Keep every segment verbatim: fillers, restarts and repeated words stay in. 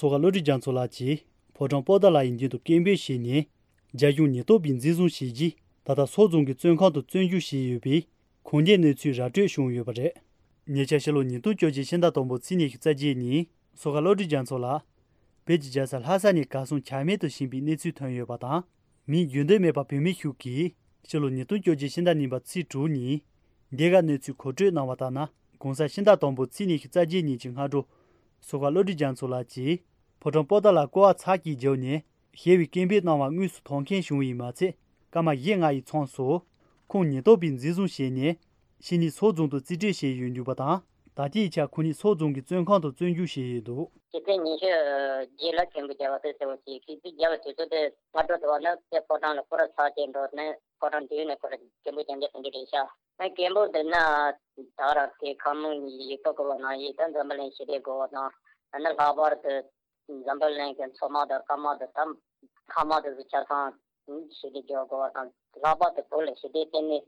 མཚོ་ཁ་བློ་གྲོས་རྒྱ་མཚོ་ལགས་ཀྱིས་ཕོ་བྲང་པོ་ཏཱ་ལ་ཡི་མདུན་དུ་སྐད་འབོད་བྱས་ནས། རྒྱ་གཞུང་ཉེན་རྟོག་པས་འཛིན་བཟུང་བྱས་རྗེས། ད་ལྟ་སོག་རྫོང་གི་བཙོན་ཁང་དུ་བཙོན་འཇུག་བྱས་ཡོད་པའི་ཁུངས་ལྡན་གནས་ཚུལ་ར་སྤྲོད་བྱུང་ཡོད་པ་རེད། ཉེ་ཆར་ཕྱི་ལོ་ཉིས་སྟོང་བཅོ་བརྒྱད་ཕྱི་ཟླ་དང་པོ་ཚེས་ཉི་ཤུ་རྩ་བརྒྱད་ཉིན། མཚོ་ཁ་བློ་གྲོས་རྒྱ་མཚོ་ལགས་བོད་ཀྱི་རྒྱལ་ས་ལྷ་ས་ནས་གར་སོང་ཆ་མེད་དུ་ཕྱིན་པའི་གནས་ཚུལ་ཐོན་ཡོད་པ་དང་། མིང་བརྗོད་འདོད་མེད་པ་བོད་མི་ཞིག་གིས་ཕྱི་ལོ་ཉིས་སྟོང་བཅོ་བརྒྱད་ཕྱི་ཟླ་གཉིས་པ་ཚེས་དྲུག་ཉིན། འདི་ག་གནས་ཚུལ་མཁོ་སྤྲོད་གནང་བ་ལྟར་ན། གོང་ས་ཕྱི་ཟླ་དང་པོ་ཚེས་ཉི་ཤུ་རྩ་བརྒྱད་ཉིན་གྱི་སྔ་དྲོ། མཚོ་ཁ་བློ་གྲོས་རྒྱ་མཚོ་ལགས་ཀྱིས་ཕོ་བྲང་པོ་ཏཱ་ལ་སྐོར་བ་ཚར་གཅིག་བརྒྱབ་ནས་ཞེས་པའི་སྐད་འབོད་གནང་བ་དངོས་སུ་མཐོང་མཁན་བྱུང་བས་མ་ཚད། སྐར་མ་བཞི་ལྔ་ཡི་མཚམས་སུ་ཁོང་ཉེན་རྟོག་པས་འཛིན་བཟུང་བྱས་ནས་ཕྱི་ནས་སོག་རྫོང་དུ་རྩིས་སྤྲོད་བྱས་ཡོད་འདུག་པ་དང་། ད་ལྟའི་ཆར་ཁོང་ཉིད་སོག་རྫོང་གི་བཙོན་ཁང་དུ་བཙོན་འཇུག་བྱས་ཡོད་འདུག། ཕྱི་ཚེས་ཉི་ཤུ་རྗེས་ལ་སྐད་འབོད་བརྒྱབ་པ་དེ་གསལ་པོ་བྱས། སྐད་འབོད་བརྒྱབ་པའི་དུས་ཚོད་དེ་སྔ་དྲོ་དུ་བ་ནི་དེ་ཕོ་བྲང་ལ་སྐོར་ར་ཚར་གཅིག་འགྲོ་ནས་ཕོ་བྲང་མདུན་ནས་ཁོ་ར་སྐད་འབོད་རྒྱབ་མཁན་དེ་འདྲ་རེད་ཤག། ཨ་སྐད་འབོད་དེ་ན་ད་ར་དེ་ཁ་མོ་ཡིག་ཐོག་གི་བ་ན་ཡིག་ད་འཛམ་བུ་གླིང་ཞི་བདེ་དགོས་པ་དང་། ཨ་ནི་ལྷག་པར་དུ་འཛམ་བུ་གླིང་གི་མཚོ་དམག་དང་རྐང་དམག་དང་ད་མཁའ་དམག་དེ་ཚོ་ཆ་ཚང་ཞི་བདེ་སྦྱོར་དགོས་པ་དང་། ལྷག་པར་དུ་བོད་ལ་ཞི་བདེ་བརྟན་གནས་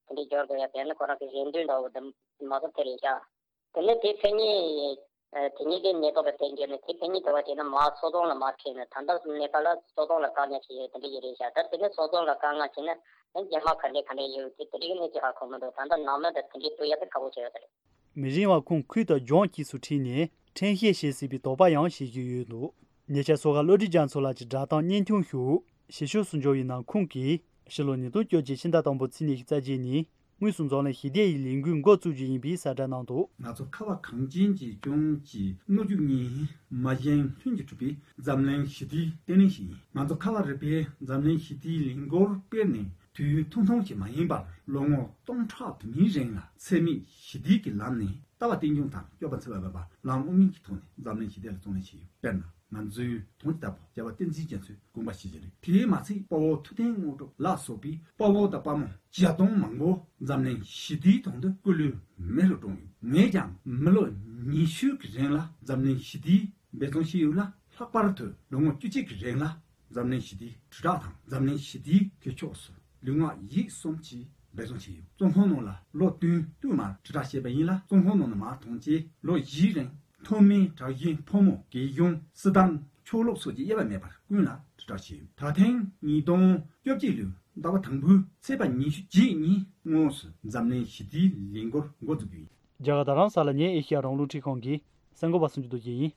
དེ་འདྲའི་སྦྱོར་དགོས་ཡ་དེ་ནི་ཁོ་རང་གི་རེ་འདུན་འདྲ་བོ་དེ་མ་གཏོགས་དེ་རེད་ཤག། དེ་ནས་དེ་ཕན་ཉིན། ཨ་དེ་ཉིན་དེ་ཉེན་རྟོག་པའི་ཐད་འགྱོ་ནས་དེ་ཕན་ཉིན་དེ་བ་བྱས་ན་མར་སོག་རྫོང་ལ་མར་ཁྲིད་ནས། ད་ལྟ་གནས་སྐབས་ལ་སོག་རྫོང་ལ་བཀག་ཉར་བྱས་ཡོད་དེ་འདྲ་ཡིན་རེད་ཤག། ད་དེ་ནས་སོག་རྫོང་ལ་བཀག་ཉར་བྱས་ན་ཨ་རྒྱ་དམག་ག་འདྲས་ག་འདྲས་ཡོད་དེ་དེ་འདྲའི་གནས་ཚུལ་ཧ་གོ་མི་འདུག། ད་ལྟ་ནང་མི་དང་དེ་འདྲའི་ཐུག་ཡ་དེ་ཁག་པོ་ཆགས་ཡོད་རེད། མི་རིང་བར་ཁོང་ཁུལ་དང་ལྗོངས་གཉིས་སུ་ཁྲིད་ནས་ཁྲིམས་བཤེར་བྱེད་སྲིད་པའི་དོགས་པ་ཡང་བྱེད་ཀྱི་ཡོད་འདུག། ཉེ་ཆར་མཚོ་ཁ་བློ་གྲོས་རྒྱ་མཚོ་ལགས་ཀྱི་བསྒྲགས་གཏམ་བརྙན་ཐུང་ཞིག་ཕྱི་ཕྱོགས་སུ་འབྱོར་བའི་ནང་། ཁོང་གིས་ཕྱི་ལོ་ཉིས་སྟོང་བཅོ་བརྒྱད་ཕྱི་ཟླ་དང་པོ་ཚེས་ཉི་ཤུ་རྩ་བརྒྱད་ཉིན། དངོས་སུ་འཛམ་གླིང་ཞི་བདེ་ཡི་ལས་འགུལ་འགོ་བཙུགས་རྒྱུ་ཡིན་པའི་གསལ་བསྒྲགས་གནང་འདུག། ང་ཚོ་ཁ་བ་གངས་ཅན་གྱི་ལྗོངས་ཀྱི་སྣོད་བཅུད་གཉིས་མ་གཞན་ལྷུན་གྱིས་གྲུབ་པའི་འཛམ་གླིང་ཞི་བདེའི་ལྟེ་གནས་ཤིག་ཡིན། ང་ཚོ་ཁ་བ་རི་པའི་འཛམ་གླིང་ཞི་བདེའི་ལས་འགུལ་སྤེལ་ནས་དུས་ཡུན་ཐུང་ཐུང་ཞིག་མ་ཡིན་པར། ལོ་ངོ་སྟོང་ཕྲག་དུ་མའི་རིང་ལ་འཚེ་མེད་ཞི་བདེ་གི་ལམ་ནས་ལྟ་བ་རྟེན་འབྱུང་དང་སྤྱོད་པ་འཚེ་བ་མེད་པ་ལམ་དབུ་མའི་གི་ཐོག་ནས་འཛམ་གླིང་ཞི་བདེ་ལ་བརྩོན་ལེན་བྱས་ཡོད། དཔེར་ན། ང་ཚོའི་དོན་ལྟ་བུ་རྒྱལ་བ་བསྟན་འཛིན་རྒྱ་མཚོའི་དགོངས་པ་ཞིག་ཅིག་རེད། དེའི་མ་ཚད་དཔའ་བོ་ཐུབ་བསྟན་དངོས་གྲུབ་ལ་སོགས་པའི་དཔའ་བོ་དང་དཔའ་མོ་བརྒྱ་སྟོང་མང་པོ་འཛམ་གླིང་ཞི་བདེའི་དོན་དུ་སྐུ་ལུས་མེ་རུ་བཀྲོངས་ཡོད། ངས་ཀྱང་མི་ལོ་ཉི་ཤུ་གི་རིང་ལ་འཛམ་གླིང་ཞི་བདེའི་འབད་བརྩོན་བྱས་ཡོད་ལ། ལྷག་པར་དུ་ལོ་ངོ་བཅུ་གཅིག་གི་རིང་ལ་འཛམ་གླིང་ཞི་བདེའི་དྲིལ་བསྒྲགས་དང་། འཛམ་གླིང་ཞི་བདེའི་གྲོས་ཆོད་སོགས་ལུས་ངག་ཡིད་གསུམ་གྱིས་འབད་བརྩོན་བྱས་ཡོད། བཙོན་ཁང་ནང་ལ་ལོ་བདུན་བསྟུད་མར་དྲིལ་བསྒྲགས་བྱས་པ་ཡིན་ལ། བཙོན་ཁང་ནང་ནས་མར་ཐོན་རྗེས་ལོ་བཞིའི་རིང་ཐོན་མིའི་དྲག་ཞན་ཕོ་མོ། རྒྱལ་གཞུང་། སྲིད་ཏང་། ཆོས་ལུགས་སོགས་ཀྱི་དབྱེ་བ་མེད་པར་ཀུན་ལ་དྲིལ་བསྒྲགས་བྱས་ཡོད། ད་ཐེངས་ཉིས་སྟོང་བཅོ་བརྒྱད་ལོའི་ཟླ་བ་དང་པོའི་ཚེས་པ་ཉི་ཤུ་རྗེས་ཉིན་དངོས་སུ་འཛམ་གླིང་ཞི་བདེའི་ལས་འགུལ་འགོ་འཛུགས་རྒྱུ་ཡིན། རྒྱ་གར་རྡ་རམ་ས་ལ་ནས་ཨེ་ཤེ་ཡ་རང་དབང་རླུང་འཕྲིན་ཁང་གི་གསར་འགོད་པ་སུ་འབྱོར་རྡོ་རྗེ་ཡིན།